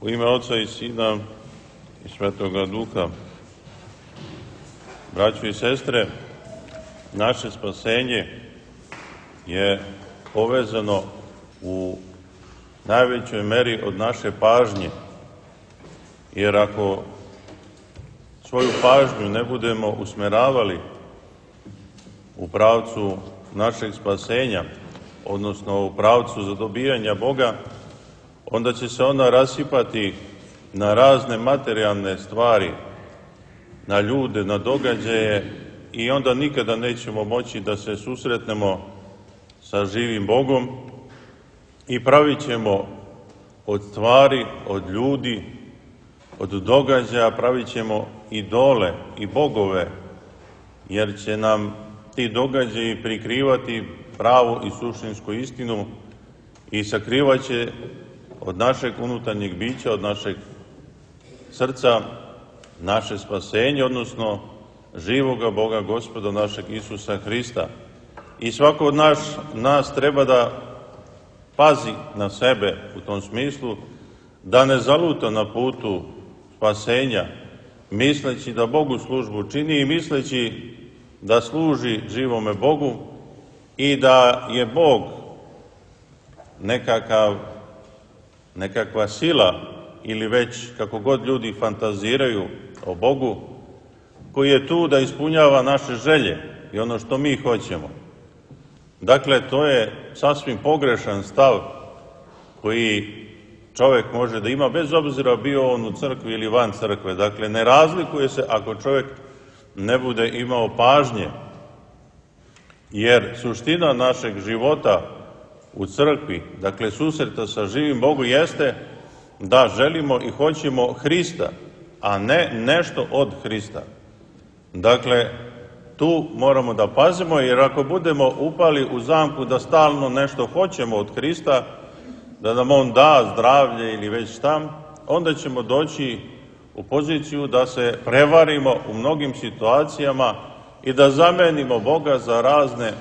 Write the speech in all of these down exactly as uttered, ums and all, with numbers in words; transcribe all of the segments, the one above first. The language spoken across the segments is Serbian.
U ime Oca i Sina i Svetoga Duha. Braćo i sestre, naše spasenje je povezano u najvećoj meri od naše pažnje, jer ako svoju pažnju ne budemo usmeravali u pravcu našeg spasenja, odnosno u pravcu zadobijanja Boga, onda će se ona rasipati na razne materijalne stvari, na ljude, na događaje i onda nikada nećemo moći da se susretnemo sa živim Bogom i pravit ćemo od stvari, od ljudi, od događaja, pravit ćemo idole i bogove, jer će nam ti događaji prikrivati pravu i suštinsku istinu i sakrivat će od našeg unutarnjeg bića, od našeg srca, naše spasenje, odnosno živoga Boga, Gospoda našeg Isusa Hrista. I svako od nas, nas treba da pazi na sebe u tom smislu, da ne zaluta na putu spasenja, misleći da Bogu službu čini i misleći da služi živome Bogu i da je Bog nekakav nekakva sila ili već kako god ljudi fantaziraju o Bogu, koji je tu da ispunjava naše želje i ono što mi hoćemo. Dakle, to je sasvim pogrešan stav koji čovjek može da ima, bez obzira bio on u crkvi ili van crkve. Dakle, ne razlikuje se ako čovjek ne bude imao pažnje, jer suština našeg života u crkvi, dakle susreta sa živim Bogom, jeste da želimo i hoćemo Hrista, a ne nešto od Hrista. Dakle, tu moramo da pazimo, jer ako budemo upali u zamku da stalno nešto hoćemo od Hrista, da nam On da zdravlje ili već šta, onda ćemo doći u poziciju da se prevarimo u mnogim situacijama i da zamenimo Boga za razne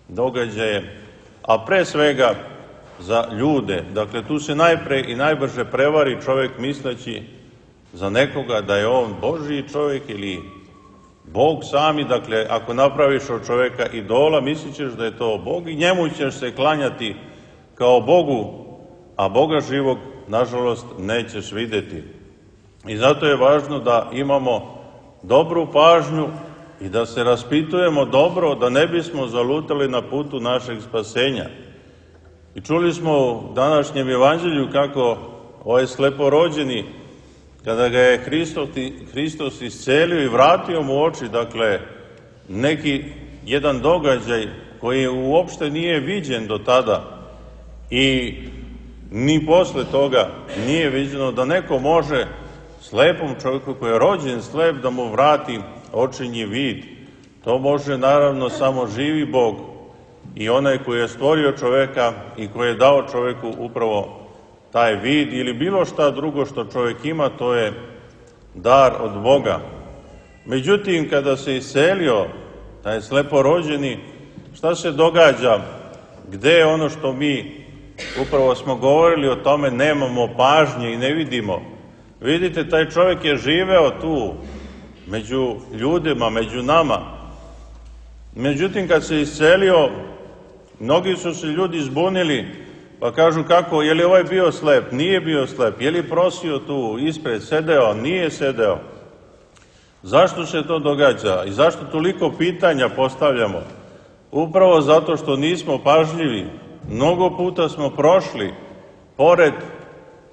događaje, a pre svega za ljude. Dakle, tu se najpre i najbrže prevari čovjek misleći za nekoga da je on Božji čovjek ili Bog sami. Dakle, ako napraviš od čovjeka idola, mislit ćeš da je to Bog i njemu ćeš se klanjati kao Bogu, a Boga živog, nažalost, nećeš vidjeti. I zato je važno da imamo dobru pažnju i da se raspitujemo dobro, da ne bismo zalutali na putu našeg spasenja. I čuli smo u današnjem evanđelju kako ovaj sleporođeni, kada ga je Hristos, Hristos iscelio i vratio mu oči, dakle, neki jedan događaj koji uopšte nije viđen do tada i ni posle toga nije viđeno, da neko može slepom čovjeku koji je rođen slep da mu vrati očinji vid. To može naravno samo živi Bog i onaj koji je stvorio čovjeka i koji je dao čovjeku upravo taj vid ili bilo šta drugo što čovjek ima, to je dar od Boga. Međutim, kada se iscelio taj sleporođeni, šta se događa? Gde je ono što mi upravo smo govorili o tome, nemamo pažnje i ne vidimo? Vidite, taj čovjek je živeo tu među ljudima, među nama. Međutim, kad se iscelio, mnogi su se ljudi zbunili, pa kažu kako, je li ovaj bio slep? Nije bio slep. Je li prosio tu ispred, sedeo? Nije sedeo. Zašto se to događa i zašto toliko pitanja postavljamo? Upravo zato što nismo pažljivi. Mnogo puta smo prošli pored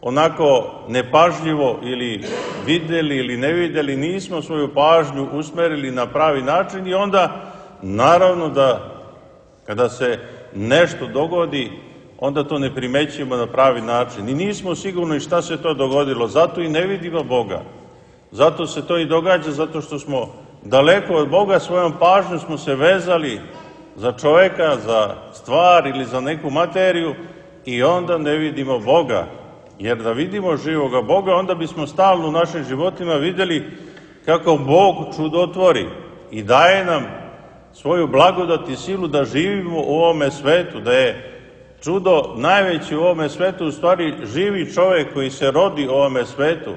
onako nepažljivo ili vidjeli ili ne vidjeli, nismo svoju pažnju usmerili na pravi način i onda naravno da kada se nešto dogodi, onda to ne primećujemo na pravi način. I nismo sigurni šta se to dogodilo, zato i ne vidimo Boga. Zato se to i događa, zato što smo daleko od Boga, svojom pažnjom smo se vezali za čovjeka, za stvar ili za neku materiju i onda ne vidimo Boga. Jer da vidimo živoga Boga, onda bismo stalno u našim životima vidjeli kako Bog čudotvori i daje nam svoju blagodat i silu da živimo u ovome svetu, da je čudo najveće u ovome svetu u stvari živi čovjek koji se rodi u ovome svetu.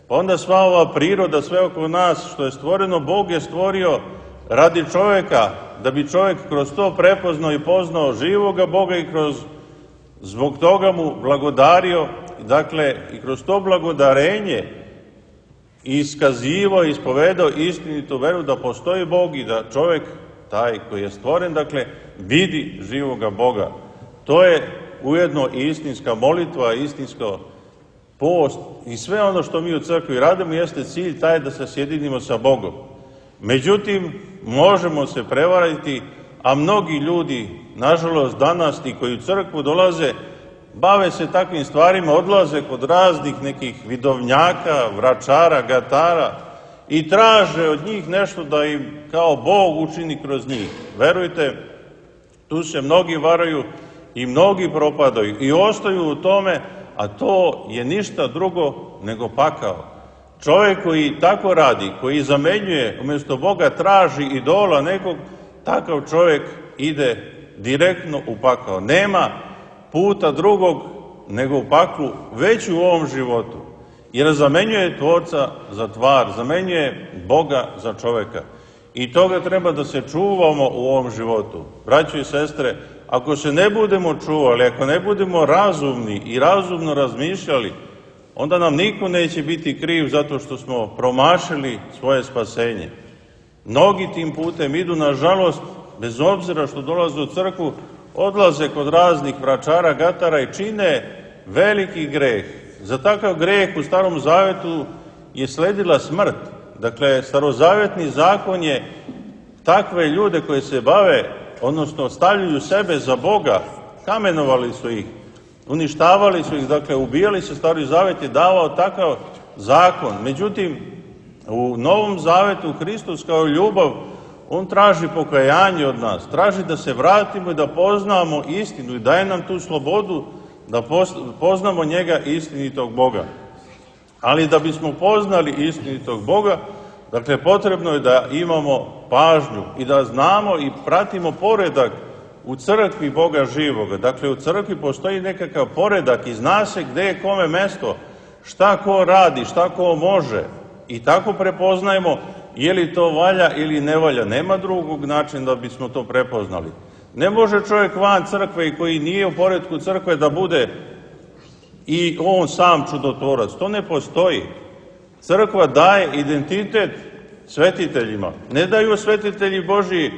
Pa onda sva ova priroda, sve oko nas što je stvoreno, Bog je stvorio radi čovjeka, da bi čovjek kroz to prepoznao i poznao živoga Boga i kroz zbog toga mu blagodario, dakle i kroz to blagodarenje iskazivao i ispovedao istinitu veru da postoji Bog i da čovjek, taj koji je stvoren, dakle, vidi živoga Boga. To je ujedno i istinska molitva, istinsko post i sve ono što mi u crkvi radimo jeste cilj taj da se sjedinimo sa Bogom. Međutim, možemo se prevariti, a mnogi ljudi, nažalost danas ti koji u crkvu dolaze, bave se takvim stvarima, odlaze kod raznih nekih vidovnjaka, vračara, gatara i traže od njih nešto da im kao Bog učini kroz njih. Verujte, tu se mnogi varaju i mnogi propadaju i ostaju u tome, a to je ništa drugo nego pakao. Čovjek koji tako radi, koji zamenjuje, umjesto Boga traži idola nekog, takav čovjek ide direktno u pakao. Nema puta drugog nego u paklu, već u ovom životu. Jer zamenjuje Tvorca za tvar, zamenjuje Boga za čovjeka. I toga treba da se čuvamo u ovom životu. Braćo i sestre, ako se ne budemo čuvali, ako ne budemo razumni i razumno razmišljali, onda nam niko neće biti kriv zato što smo promašili svoje spasenje. Mnogi tim putem idu, nažalost, bez obzira što dolaze u crkvu, odlaze kod raznih vračara, gatara i čine veliki greh. Za takav greh u Starom Zavetu je sledila smrt. Dakle, starozavetni zakon je takve ljude koje se bave, odnosno stavljaju sebe za Boga, kamenovali su ih, uništavali su ih, dakle, ubijali se. Stari Zavet je davao takav zakon. Međutim, u Novom Zavetu Hristos kao ljubav, on traži pokajanje od nas, traži da se vratimo i da poznamo istinu i daje nam tu slobodu da poznamo njega, istinitog Boga. Ali da bismo poznali istinitog Boga, dakle, potrebno je da imamo pažnju i da znamo i pratimo poredak u crkvi Boga živoga. Dakle, u crkvi postoji nekakav poredak i zna se gde je kome mesto, šta ko radi, šta ko može. I tako prepoznajemo je li to valja ili ne valja. Nema drugog načina da bismo to prepoznali. Ne može čovjek van crkve i koji nije u poretku crkve da bude i on sam čudotvorac. To ne postoji. Crkva daje identitet svetiteljima. Ne daju svetitelji Božiji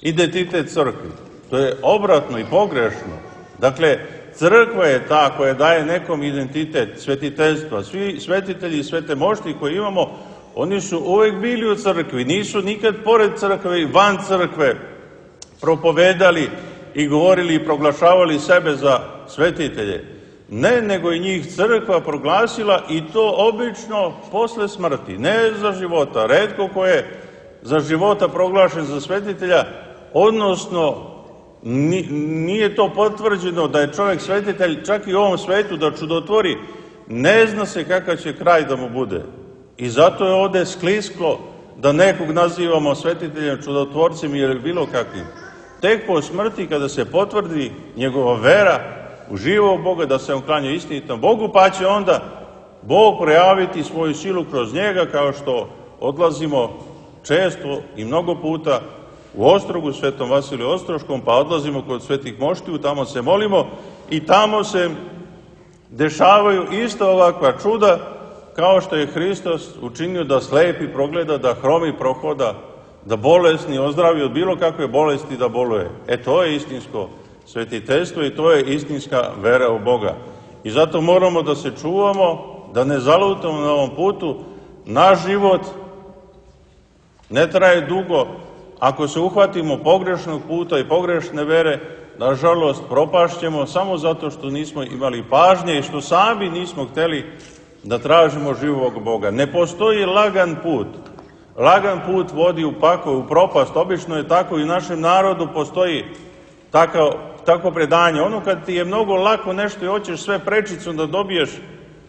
identitet crkvi. To je obratno i pogrešno. Dakle, crkva je ta koja daje nekom identitet svetiteljstva. Svi svetitelji i svete mošti koji imamo, oni su uvek bili u crkvi. Nisu nikad pored crkve i van crkve propovedali i govorili i proglašavali sebe za svetitelje. Ne, nego i njih crkva proglasila i to obično posle smrti, ne za života. Retko ko je za života proglašen za svetitelja, odnosno nije to potvrđeno da je čovjek svetitelj čak i u ovom svetu da čudotvori, ne zna se kakav će kraj da mu bude. I zato je ovde sklisklo da nekog nazivamo svetiteljem, čudotvorcem ili bilo kakvim. Tek po smrti, kada se potvrdi njegova vera u živog Boga, da se on klanja istinitom Bogu, pa će onda Bog projaviti svoju silu kroz njega, kao što odlazimo često i mnogo puta u Ostrogu, Svetom Vasiliju Ostroškom, pa odlazimo kod svetih moštiju, tamo se molimo i tamo se dešavaju isto ovakva čuda, kao što je Hristos učinio da slepi progleda, da hromi prohoda, da bolesni ozdravi od bilo kakve bolesti da boluje. E, to je istinsko svetiteljstvo i to je istinska vera u Boga. I zato moramo da se čuvamo, da ne zalutamo na ovom putu. Naš život ne traje dugo. Ako se uhvatimo pogrešnog puta i pogrešne vere, nažalost, propašćemo samo zato što nismo imali pažnje i što sami nismo hteli da tražimo živog Boga. Ne postoji lagan put. Lagan put vodi u pakao, u propast. Obično je tako i u našem narodu postoji tako, tako predanje. Ono kad ti je mnogo lako nešto i hoćeš sve prečicom da dobiješ,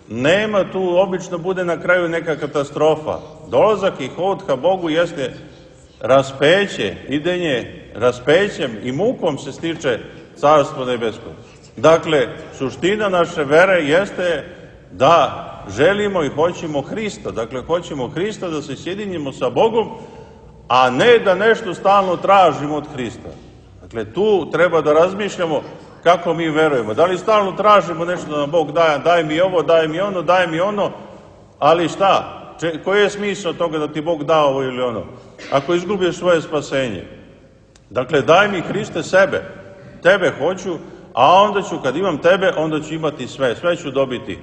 nema tu, obično bude na kraju neka katastrofa. Dolazak i hod ka Bogu jeste raspeće, idenje raspećem i mukom se stiče carstvo nebesko. Dakle, suština naše vere jeste da želimo i hoćemo Hrista. Dakle, hoćemo Hrista da se sjedinimo sa Bogom, a ne da nešto stalno tražimo od Hrista. Dakle, tu treba da razmišljamo kako mi verujemo. Da li stalno tražimo nešto da nam Bog daje, daj mi ovo, daj mi ono, daj mi ono, ali šta? Če, koji je smisao toga da ti Bog da ovo ili ono? Ako izgubiš svoje spasenje. Dakle, daj mi Hriste sebe, tebe hoću, a onda ću, kad imam tebe, onda ću imati sve, sve ću dobiti.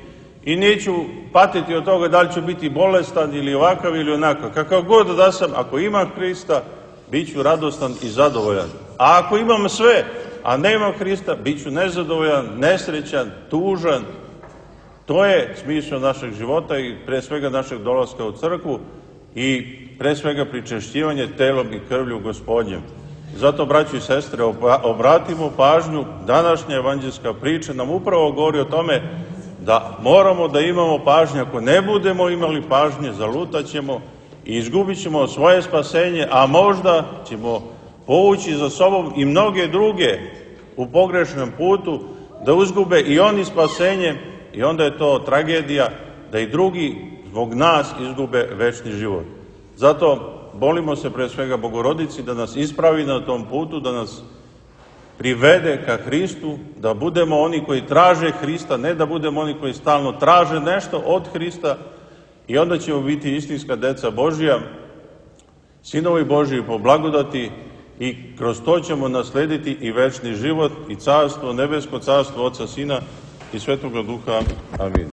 I neću patiti od toga da li ću biti bolestan ili ovakav ili onakav. Kakav god da sam, ako imam Hrista, bit ću radostan i zadovoljan. A ako imam sve, a nemam Hrista, bit ću nezadovoljan, nesrećan, tužan. To je smisao našeg života i pre svega našeg dolaska u crkvu i pre svega pričešćivanje telom i krvlju Gospodnjem. Zato, braći i sestre, obratimo pažnju, današnja evanđelska priča nam upravo govori o tome da moramo da imamo pažnje. Ako ne budemo imali pažnje, zalutaćemo i izgubit ćemo svoje spasenje, a možda ćemo povući za sobom i mnoge druge u pogrešnom putu, da uzgube i oni spasenje, i onda je to tragedija da i drugi zbog nas izgube večni život. Zato molimo se pre svega Bogorodici da nas ispravi na tom putu, da nas privede ka Hristu, da budemo oni koji traže Hrista, ne da budemo oni koji stalno traže nešto od Hrista, i onda ćemo biti istinska deca Božija, sinovi Božiji po blagodati, i kroz to ćemo naslediti i večni život i carstvo, nebesko carstvo Oca, Sina i Svetoga Duha. Amin.